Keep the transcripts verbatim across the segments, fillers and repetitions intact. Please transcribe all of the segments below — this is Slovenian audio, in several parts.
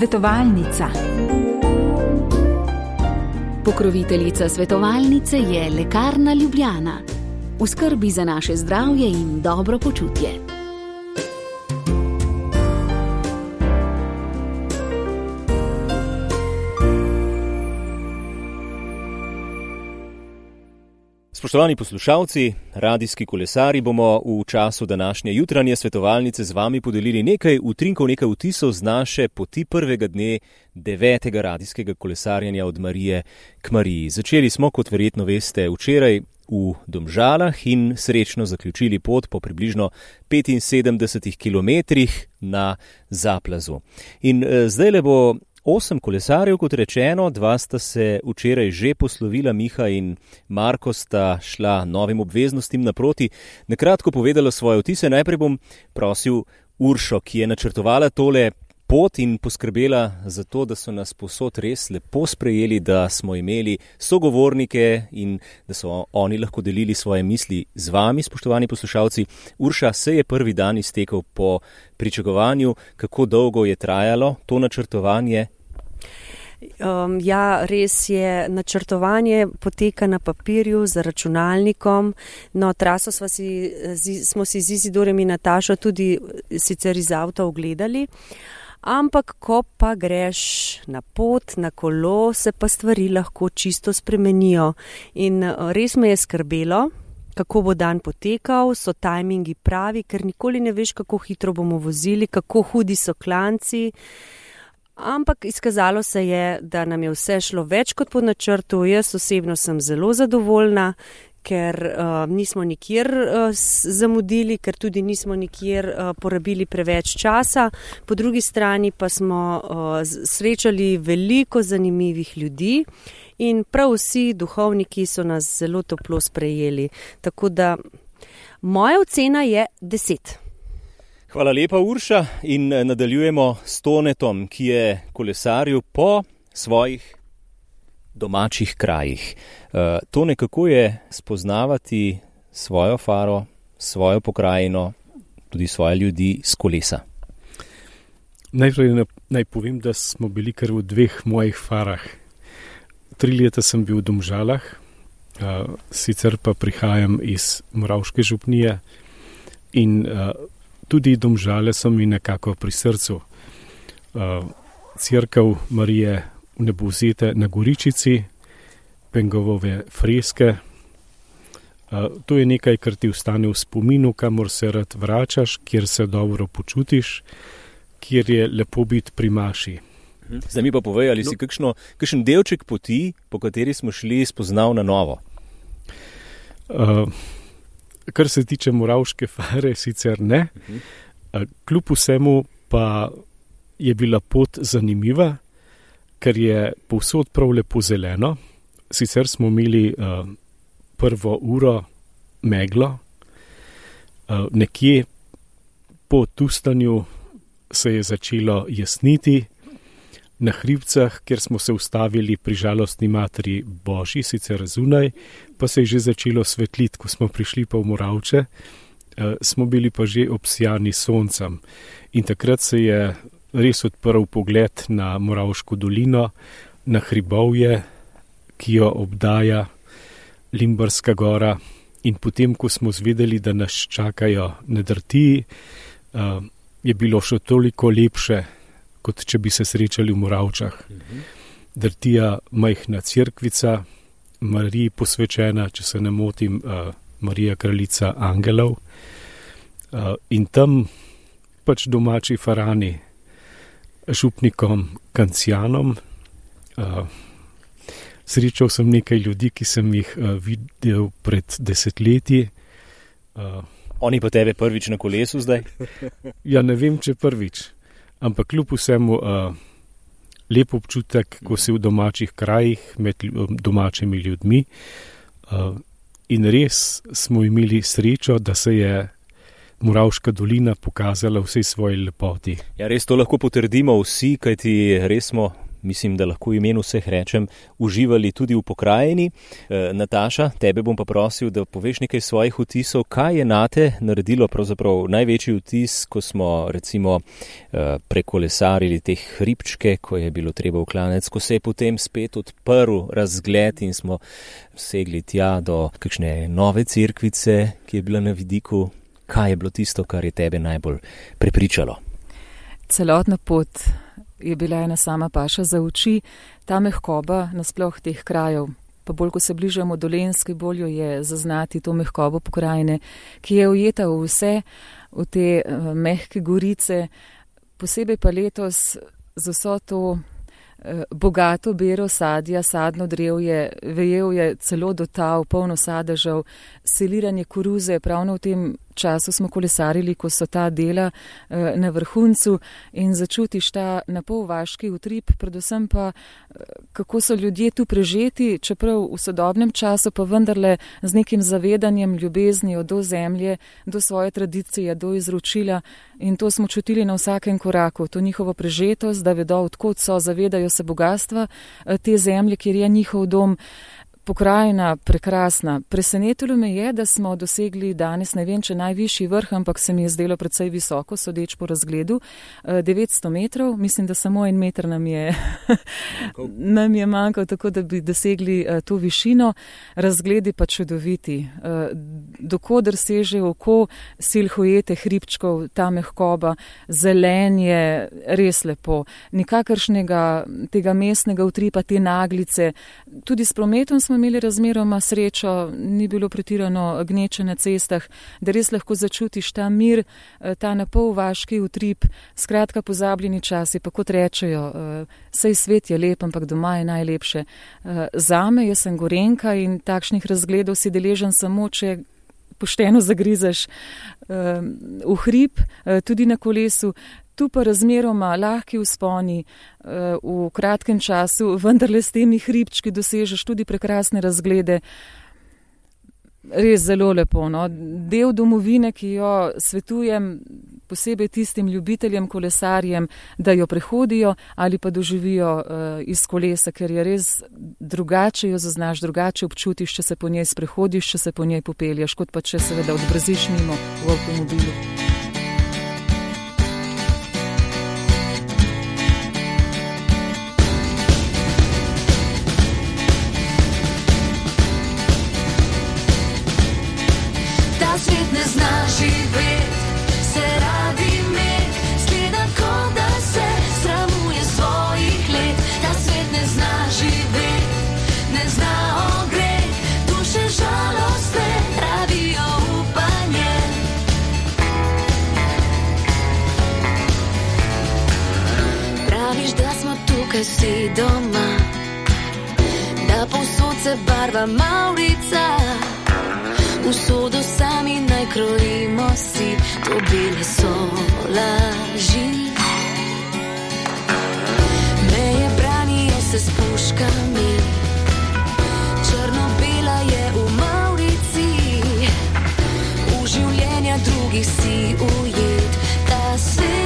Svetovalnica. Pokroviteljica svetovalnice je Lekarna Ljubljana. V skrbi za naše zdravje in dobro počutje. Spoštovani poslušalci, radijski kolesari, bomo v času današnje jutranje svetovalnice z vami podelili nekaj utrinkov, nekaj vtisov z naše poti prvega dne devetega radijskega kolesarjenja od Marije k Mariji. Začeli smo, kot verjetno veste, včeraj v Domžalah in srečno zaključili pot po približno petinsedemdesetih kilometrih na Zaplazu. In eh, zdaj le bo osem kolesarjev, kot rečeno, dva sta se včeraj že poslovila, Miha in Marko sta šla novim obveznostim naproti. Nakratko povedala svoje vtise. Najprej bom prosil Uršo, ki je načrtovala tole pot in poskrbela za to, da so nas povsod res lepo sprejeli, da smo imeli sogovornike in da so oni lahko delili svoje misli z vami, spoštovani poslušalci. Urša, se je prvi dan iztekel po pričakovanju. Kako dolgo je trajalo to načrtovanje? Um, ja, res je, načrtovanje poteka na papirju z računalnikom. No, traso smo si, smo si z Izidorjem in Natašo tudi sicer iz avta ogledali. Ampak, ko pa greš na pot, na kolo, se pa stvari lahko čisto spremenijo. In res me je skrbelo, kako bo dan potekal, so tajmingi pravi, ker nikoli ne veš, kako hitro bomo vozili, kako hudi so klanci. Ampak izkazalo se je, da nam je vse šlo več kot po načrtu. Jaz osebno sem zelo zadovoljna, ker uh, nismo nikjer uh, zamudili, ker tudi nismo nikjer uh, porabili preveč časa. Po drugi strani pa smo uh, srečali veliko zanimivih ljudi in prav vsi duhovniki so nas zelo toplo sprejeli. Tako da moja ocena je deset. Hvala lepa, Urša, in nadaljujemo s Tonetom, ki je kolesaril po svojih domačih krajih. Uh, Tone, kako je spoznavati svojo faro, svojo pokrajino, tudi svoje ljudi s kolesa? Najprej naj povem, da smo bili kar v dveh mojih farah. Tri leta sem bil v Domžalah, uh, sicer pa prihajam iz Moravške župnije in uh, tudi Domžale so mi nekako pri srcu. Uh, Cerkev Marije Vnebovzete na Goričici, Pengovove freske. Uh, to je nekaj, kar ti ostane v spominu, kamor se rad vračaš, kjer se dobro počutiš, kjer je lepo biti pri maši. Zdaj mi pa povej, ali si kakšno, kakšen delček poti, po kateri smo šli, spoznal na novo? Uh, kar se tiče Moravške fare, sicer ne. Uh, kljub vsemu pa je bila pot zanimiva, ker je povsod prav lepo zeleno. Sicer smo imeli uh, prvo uro meglo. Uh, nekje po Tustanju se je začelo jasniti. Na hribcah, kjer smo se ustavili pri Žalostni materi Božji, sicer zunaj, pa se je že začelo svetliti. Ko smo prišli pa v Moravče, uh, smo bili pa že obsijani soncem. In takrat se je res odprl pogled na Moravško dolino, na hribovje, ki jo obdaja Limbarska gora. In potem, ko smo zvedeli, da nas čakajo na Drtiji, uh, je bilo še toliko lepše, kot če bi se srečali v Moravčah. Drtija, majhna cerkvica, Mariji posvečena, če se ne motim, uh, Marija kraljica angelov. Uh, in tam pač domači farani, župnikom Kancijanom. Uh, srečal sem nekaj ljudi, ki sem jih uh, videl pred desetletji. Uh, Oni pa tebe prvič na kolesu zdaj? Ja, ne vem, če prvič, ampak kljub vsemu uh, lep občutek, ko si v domačih krajih med domačimi ljudmi. Uh, in res smo imeli srečo, da se je Moravška dolina pokazala vsej svoji lepoti. Ja, res to lahko potrdimo vsi, kajti res smo mislim, da lahko v imenu vseh rečem, uživali tudi v pokrajini. E, Nataša, tebe bom pa prosil, da poveš nekaj svojih vtisov. Kaj je nate naredilo pravzaprav največji vtis, ko smo recimo e, prekolesarili te hribčke, ko je bilo treba v klanec, ko se je potem spet odprl razgled in smo segli tja do kakšne nove cerkvice, ki je bila na vidiku. Kaj je bilo tisto, kar je tebe najbolj prepričalo? Celotna pot je bila ena sama paša za oči, ta mehkoba nasploh teh krajev. Pa bolj, ko se bližamo Dolenjski, bolj jo je zaznati to mehkobo pokrajine, ki je ujeta v vse, v te uh, mehke gorice, posebej pa letos z vso to uh, bogato bero sadja, sadno drevje, vejel je celo do tav, polno sadežev, seliranje koruze, pravno v tem času smo kolesarili, ko so ta dela eh, na vrhuncu in začutiš ta napol vaški utrip, predvsem pa, eh, kako so ljudje tu prežeti, čeprav v sodobnem času pa vendarle z nekim zavedanjem, ljubeznijo do zemlje, do svoje tradicije, do izročila in to smo čutili na vsakem koraku, to njihovo prežetost, da vedo, odkot so, zavedajo se bogatstva eh, te zemlje, kjer je njihov dom. Pokrajina prekrasna. Presenetilo me je, da smo dosegli danes, ne vem, če najvišji vrh, ampak se mi je zdelo precej visoko, sodeč po razgledu, devetsto metrov. Mislim, da samo en meter nam je, nam je manjkal, tako da bi dosegli to višino. Razgledi pa čudoviti. Dokoder seže oko silhujete hribčkov, ta mehkoba, zelenje, res lepo. Nikakršnega tega mestnega utripa, te naglice. Tudi s prometom smo imeli razmeroma srečo, ni bilo pretirano gneče na cestah, da res lahko začutiš ta mir, ta napol vaški utrip, skratka pozabljeni časi, pa kot rečejo, sej svet je lep, ampak doma je najlepše. Zame, jaz sem Gorenjka in takšnih razgledov si deležen samo, če pošteno zagrizeš v hrib, tudi na kolesu. Tu pa razmeroma lahki vzponi v kratkem času, vendarle s temi hribčki dosežeš tudi prekrasne razglede. Res zelo lepo. No? Del domovine, ki jo svetujem posebej tistim ljubiteljem, kolesarjem, da jo prehodijo ali pa doživijo uh, iz kolesa, ker je res drugače jo zaznaš, drugače občutiš, če se po njej sprehodiš, če se po njej popelješ, kot pa če seveda odbrziš mimo v avtomobilu. Tukaj si doma, da povsod se barva mavrica, usodo sami naj krojimo si, to bile so laži. Meje branijo se s puškami, črno-bela je v mavrici, v življenja drugih si ujet, ta svet.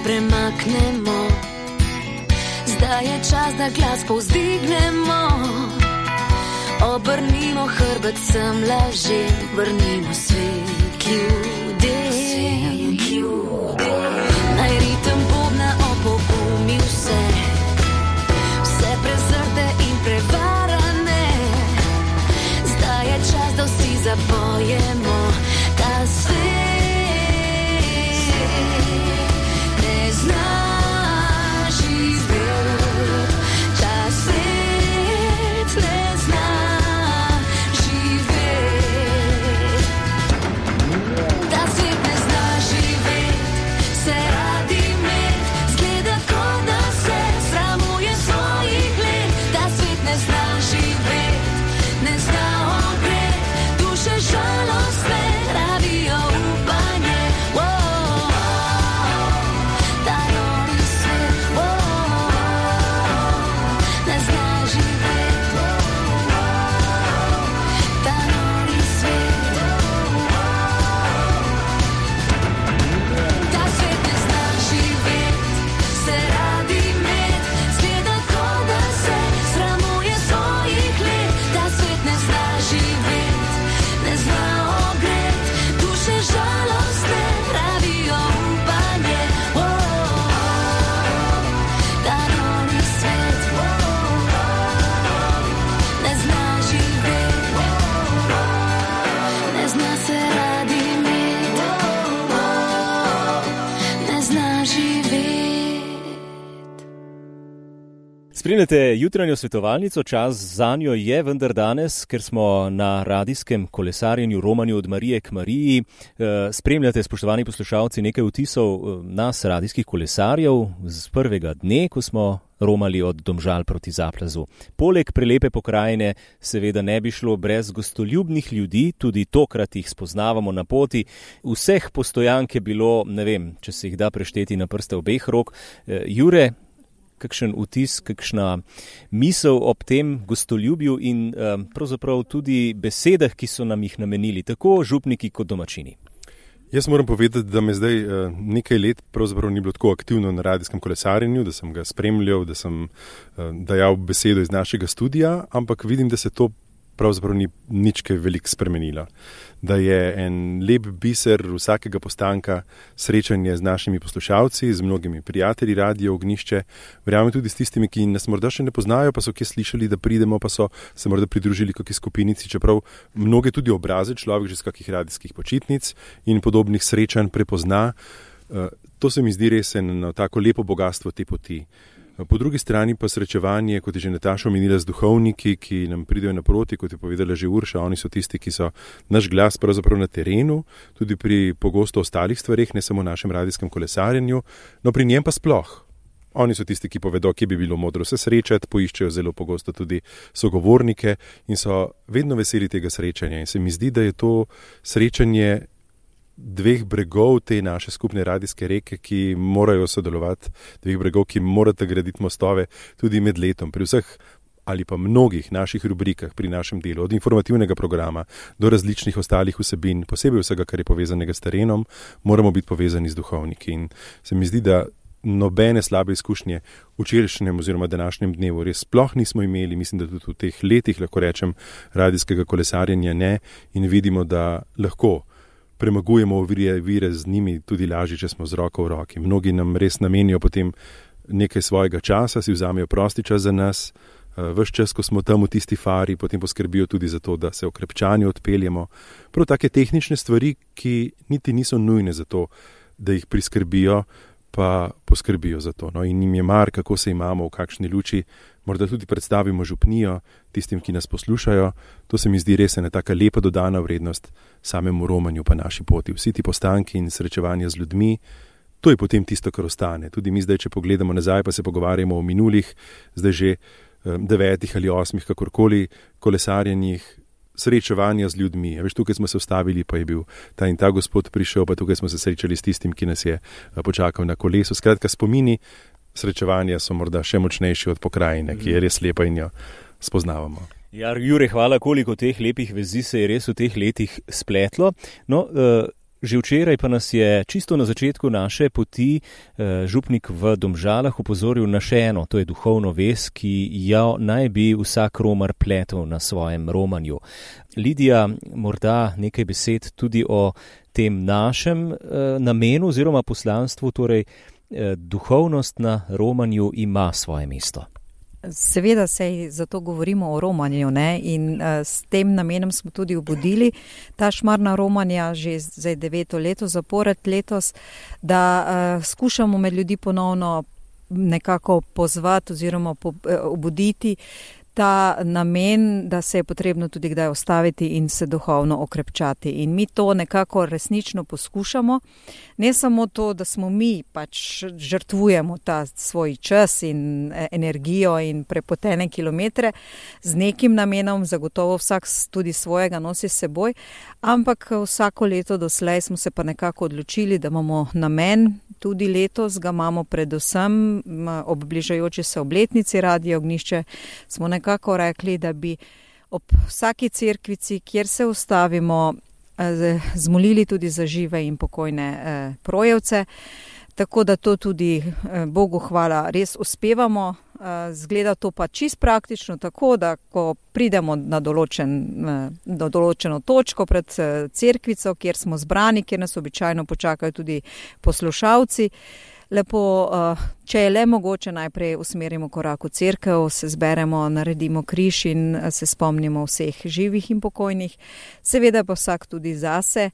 Premaknemo, zdaj je čas, da glas povzdignemo, obrnimo hrbet sem lažem, vrnimo svet ljudem. Naj ritem bobna opogumi vse, vse prezrte in prevarane, zdaj je čas, da vsi zapojemo ta svet. Spremljate jutranjo svetovalnico, čas za njo je vendar danes, ker smo na radijskem kolesarjenju romanju od Marije k Mariji. Spremljate, spoštovani poslušalci, nekaj vtisov nas, radijskih kolesarjev, z prvega dne, ko smo romali od Domžal proti Zaplazu. Poleg prelepe pokrajine seveda ne bi šlo brez gostoljubnih ljudi, tudi tokrat jih spoznavamo na poti. Vseh postojank je bilo, ne vem, če se jih da prešteti na prste obeh rok. Jure, kakšen vtis, kakšna misel ob tem gostoljubju in um, pravzaprav tudi besedah, ki so nam jih namenili, tako župniki kot domačini? Jaz moram povedati, da me zdaj uh, nekaj let pravzaprav ni bilo tako aktivno na radijskem kolesarjenju, da sem ga spremljal, da sem uh, dajal besedo iz našega studia, ampak vidim, da se to pravzaprav ni nič kaj veliko spremenilo. Da je en lep biser vsakega postanka srečanje z našimi poslušalci, z mnogimi prijatelji Radio Ognjišče, verjamem tudi s tistimi, ki nas morda še ne poznajo, pa so kje slišali, da pridemo, pa so se morda pridružili kakšni skupinici, čeprav mnoge tudi obraze človek že z kakih radijskih počitnic in podobnih srečanj prepozna. To se mi zdi res eno tako lepo bogatstvo te poti. Po drugi strani pa srečevanje, kot je že Nataša omenila, z duhovniki, ki nam pridejo naproti, kot je povedala že Urša, oni so tisti, ki so naš glas pravzaprav na terenu, tudi pri pogosto ostalih stvareh, ne samo našem radijskem kolesarjenju, no pri njem pa sploh. Oni so tisti, ki povedo, kje bi bilo modro se srečati, poiščejo zelo pogosto tudi sogovornike in so vedno veseli tega srečanja. In se mi zdi, da je to srečanje dveh bregov te naše skupne radijske reke, ki morajo sodelovati, dveh bregov, ki morate graditi mostove tudi med letom. Pri vseh ali pa mnogih naših rubrikah pri našem delu, od informativnega programa do različnih ostalih vsebin, posebej vsega, kar je povezanega s terenom, moramo biti povezani z duhovniki. In se mi zdi, da nobene slabe izkušnje v včerajšnjem oziroma današnjem dnevu res sploh nismo imeli, mislim, da tudi v teh letih, lahko rečem, radijskega kolesarjenja ne, in vidimo, da lahko premagujemo vire, vire z njimi tudi lažje, če smo z roko v roki. Mnogi nam res namenijo potem nekaj svojega časa, si vzamejo prosti čas za nas, ves čas, ko smo tam v tisti fari, potem poskrbijo tudi za to, da se okrepčani odpeljemo. Prav take tehnične stvari, ki niti niso nujne za to, da jih priskrbijo, pa poskrbijo za to. No, in njim je mar, kako se imamo, v kakšni luči, morda tudi predstavimo župnijo tistim, ki nas poslušajo. To se mi zdi res ena taka lepa dodana vrednost samemu romanju pa naši poti. Vsi ti postanki in srečevanja z ljudmi, to je potem tisto, kar ostane. Tudi mi zdaj, če pogledamo nazaj, pa se pogovarjamo o minulih, zdaj že devetih ali osmih, kakorkoli, kolesarjenjih, srečevanja z ljudmi. Veš, tukaj smo se ustavili, pa je bil ta in ta gospod prišel, pa tukaj smo se srečali s tistim, ki nas je počakal na kolesu. Skratka, spomini srečevanja so morda še močnejši od pokrajine, ki je res lepa in jo spoznavamo. Ja, Jure, hvala, koliko teh lepih vezi se je res v teh letih spletlo. No, uh, že včeraj pa nas je čisto na začetku naše poti uh, župnik v Domžalah upozoril na še eno, to je duhovno vez, ki jo naj bi vsak romar pletel na svojem romanju. Lidija, morda nekaj besed tudi o tem našem uh, namenu oziroma poslanstvu, torej uh, duhovnost na romanju ima svoje mesto. Seveda se zato govorimo o romanju, ne? In uh, s tem namenom smo tudi obudili ta šmarna romanja že zdaj deveto leto zapored letos, da uh, skušamo med ljudi ponovno nekako pozvati oziroma po, uh, obuditi ta namen, da se je potrebno tudi kdaj ostaviti in se duhovno okrepčati. In mi to nekako resnično poskušamo. Ne samo to, da smo mi pač žrtvujemo ta svoj čas in energijo in prepotene kilometre z nekim namenom, zagotovo vsak tudi svojega nosi s seboj, ampak vsako leto doslej smo se pa nekako odločili, da imamo namen, tudi letos ga imamo predvsem ob bližajoči se obletnici Radio Ognjišče, smo nekako rekli, da bi ob vsaki cerkvici, kjer se ustavimo, zmolili tudi za žive in pokojne eh, projevce, tako da to tudi eh, Bogu hvala res uspevamo. Eh, zgleda to pa čist praktično tako, da ko pridemo na določen, eh, do določeno točko pred eh, cerkvico, kjer smo zbrani, kjer nas običajno počakajo tudi poslušalci, lepo, če je le mogoče, najprej usmerimo korak v cerkev, se zberemo, naredimo križ in se spomnimo vseh živih in pokojnih, seveda pa vsak tudi zase.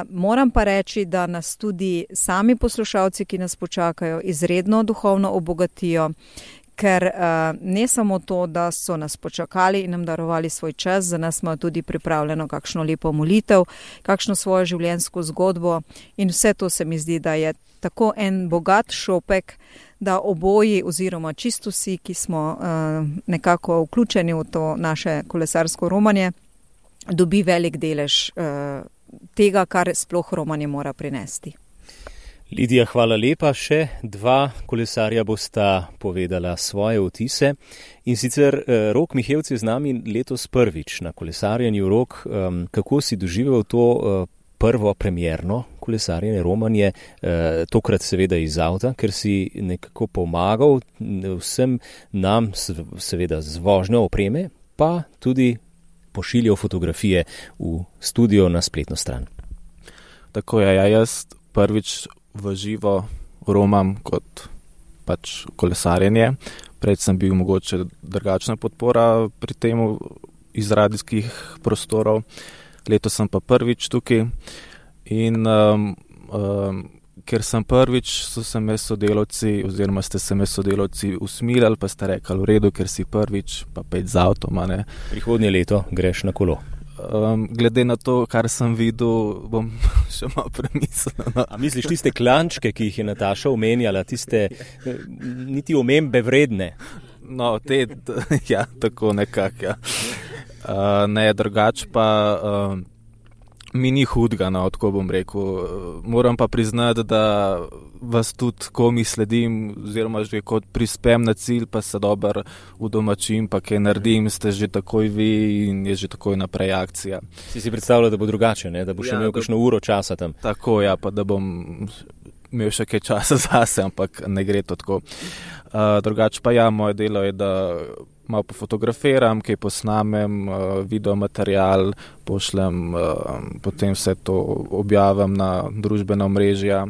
Moram pa reči, da nas tudi sami poslušalci, ki nas počakajo, izredno duhovno obogatijo, ker uh, ne samo to, da so nas počakali in nam darovali svoj čas, za nas imajo tudi pripravljeno kakšno lepo molitev, kakšno svojo življenjsko zgodbo in vse to se mi zdi, da je tako en bogat šopek, da oboji oziroma čisto vsi, ki smo uh, nekako vključeni v to naše kolesarsko romanje, dobi velik delež uh, tega, kar sploh romanje mora prinesti. Lidija, hvala lepa. Še dva kolesarja bosta povedala svoje vtise. In sicer eh, Rok Mihevc je z nami letos prvič na kolesarjenju. Rok, um, kako si doživel to uh, prvo premierno kolesarjenje, romanje, eh, tokrat seveda iz avta, ker si nekako pomagal vsem nam, seveda z vožnjo opreme, pa tudi pošiljal fotografije v studio na spletno stran. Tako je, ja, jaz prvič v živo romam kot pač kolesarjenje. Prej sem bil mogoče drugačna podpora pri tem iz radijskih prostorov. Letos sem pa prvič tukaj in um, um, ker sem prvič, so se me sodelavci oziroma ste se me sodelavci usmilali, pa ste rekli v redu, ker si prvič, pa pet z avtom. Prihodnje leto greš na kolo. Um, glede na to, kar sem videl, bom še malo premislil. No. A misliš tiste klančke, ki jih je Nataša omenjala, tiste niti omembe vredne? No, te, ja, tako nekako, ja. Uh, ne, drugač pa uh, mi ni hudga, no, tako bom rekel. Moram pa priznati, da vas tudi, ko mi sledim, oziroma že kot prispem na cilj, pa se dober udomačim, pa kaj naredim, ste že takoj vi in je že takoj naprej akcija. Si si predstavljal, da bo drugače, ne? Da bo še ja, imel kakšno uro časa tam? Tako, ja, pa da bom imel še kaj časa zase, ampak ne gre to tako. Uh, drugač pa ja, moje delo je, da malo pofotografiram, kaj posnamem, uh, videomaterial, pošljem, uh, potem vse to objavim na družbena omrežja.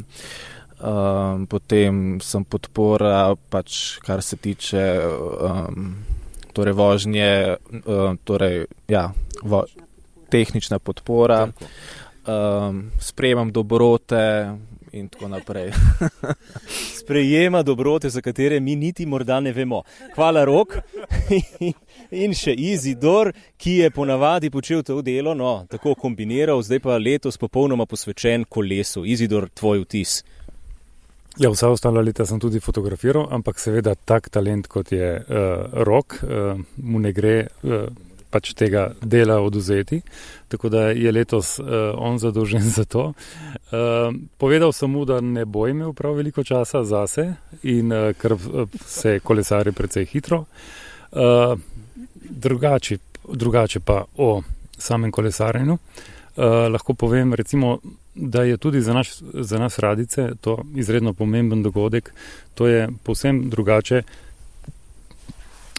Um, potem sem podpora, pač kar se tiče um, torej vožnje, uh, torej, ja, vo, tehnična podpora, um, sprejemam dobrote in tako naprej. Sprejema dobrote, za katere mi niti morda ne vemo. Hvala, Rok. In še Izidor, ki je ponavadi počel to delo, no, tako kombiniral, zdaj pa letos popolnoma posvečen kolesu. Izidor, tvoj vtis. Ja, vsa ostala leta sem tudi fotografiral, ampak seveda tak talent, kot je uh, Rok, uh, mu ne gre uh, pač tega dela oduzeti, tako da je letos uh, on zadolžen za to. Uh, povedal sem mu, da ne bo imel prav veliko časa zase in uh, ker se kolesari precej hitro. Uh, drugače, drugače pa o samem kolesarjenju. Uh, lahko povem, recimo, da je tudi za, naš, za nas radice to izredno pomemben dogodek. To je povsem drugače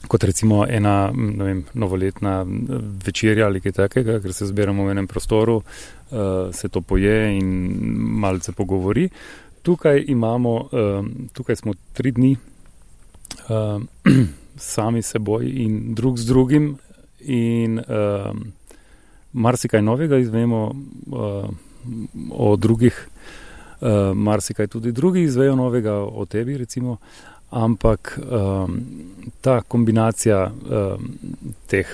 kot recimo ena, ne vem, novoletna večerja ali kaj takega, ker se zberamo v enem prostoru, uh, se to poje in malce pogovori. Tukaj imamo, uh, tukaj smo tri dni uh, sami seboj in drug z drugim in uh, marsikaj novega izvemo uh, o drugih, uh, marsikaj tudi drugi izvejo novega o tebi, recimo, ampak um, ta kombinacija um, teh,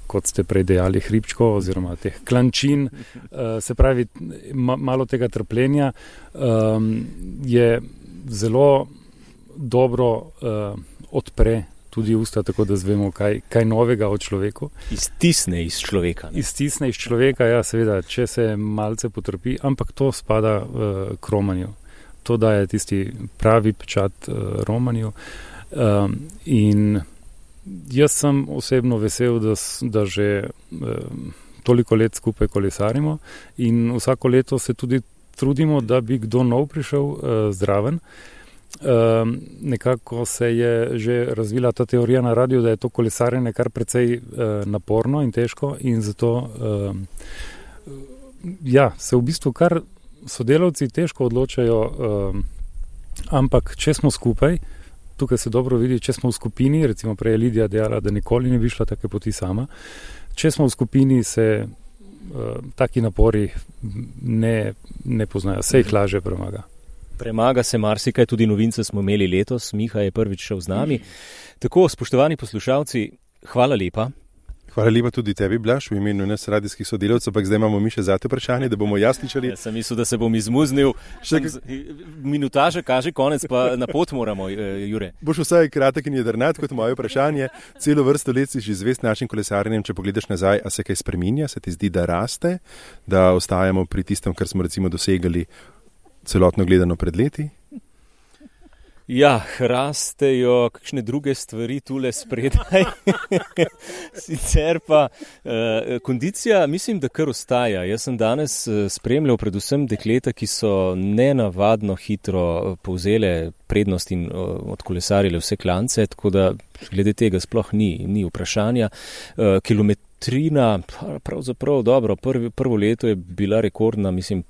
kot ste prej dejali, hribčkov oziroma teh klančin, uh, se pravi, ma, malo tega trpljenja um, je zelo dobro uh, odpre tudi usta, tako da zvemo, kaj, kaj novega o človeku. Iztisne iz človeka. Ne? Iztisne iz človeka, ja, seveda, če se malce potrpi, ampak to spada uh, k romanju. To daje tisti pravi pečat uh, romanju. Um, in jaz sem osebno vesel, da, da že um, toliko let skupaj kolesarimo in vsako leto se tudi trudimo, da bi kdo nov prišel uh, zraven. Um, nekako se je že razvila ta teorija na radiju, da je to kolesarjenje kar precej uh, naporno in težko in zato um, ja, se v bistvu kar sodelavci težko odločajo, um, ampak če smo skupaj, tukaj se dobro vidi, če smo v skupini, recimo prej je Lidija dejala, da nikoli ne bi šla take poti sama, če smo v skupini, se uh, taki napori ne, ne poznajo, se jih laže premaga. Premaga se marsikaj, tudi novince smo imeli letos, Miha je prvič šel z nami. Tako, spoštovani poslušalci, hvala lepa. Hvala lepa tudi tebi, Blaž, v imenu nas radijskih sodelavcev, ampak zdaj imamo mi še zate vprašanje, da bomo jasničali. Jaz sem mislil, da se bom izmuznil. Minutaža kaže konec, pa na pot moramo, Jure. Boš vsaj kratek in jedrnat kot moje vprašanje. Celo vrsto let si že zvest našim kolesarjenjem, če pogledaš nazaj, a se kaj spreminja, se ti zdi, da raste, da ostajamo pri tistem, kar smo recimo dosegali celotno gledano pred leti? Ja, rastejo kakšne druge stvari tule spredaj. Sicer pa eh, kondicija, mislim, da kar ostaja. Jaz sem danes spremljal predvsem dekleta, ki so nenavadno hitro povzele prednost in odkolesarile vse klance, tako da glede tega sploh ni, ni vprašanja. Eh, kilometrina, pravzaprav dobro, prvi, prvo leto je bila rekordna, mislim,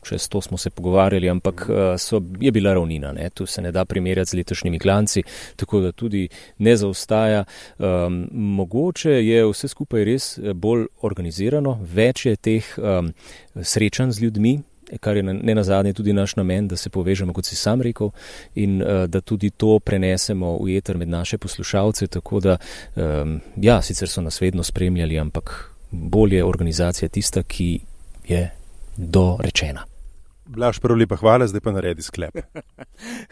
čez to smo se pogovarjali, ampak so, je bila ravnina, ne? Tu se ne da primerjati z letošnjimi klanci, tako da tudi ne zaostaja. Um, mogoče je vse skupaj res bolj organizirano, več je teh um, srečanj z ljudmi, kar je ne nazadnje tudi naš namen, da se povežemo, kot si sam rekel, in uh, da tudi to prenesemo v eter med naše poslušalce, tako da, um, ja, sicer so nas vedno spremljali, ampak bolje organizacija tista, ki je dorečena. Blaž, prvo lepa hvala, zdaj pa naredi sklep.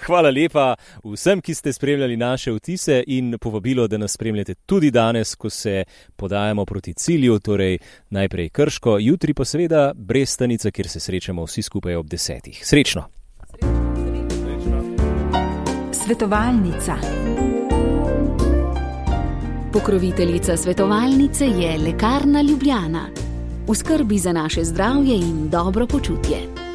Hvala lepa vsem, ki ste spremljali naše vtise in povabilo, da nas spremljate tudi danes, ko se podajamo proti cilju, torej najprej Krško, jutri pa seveda Brestanica, kjer se srečamo vsi skupaj ob desetih. Srečno! Svetovalnica. Pokroviteljica svetovalnice je Lekarna Ljubljana. V skrbi za naše zdravje in dobro počutje.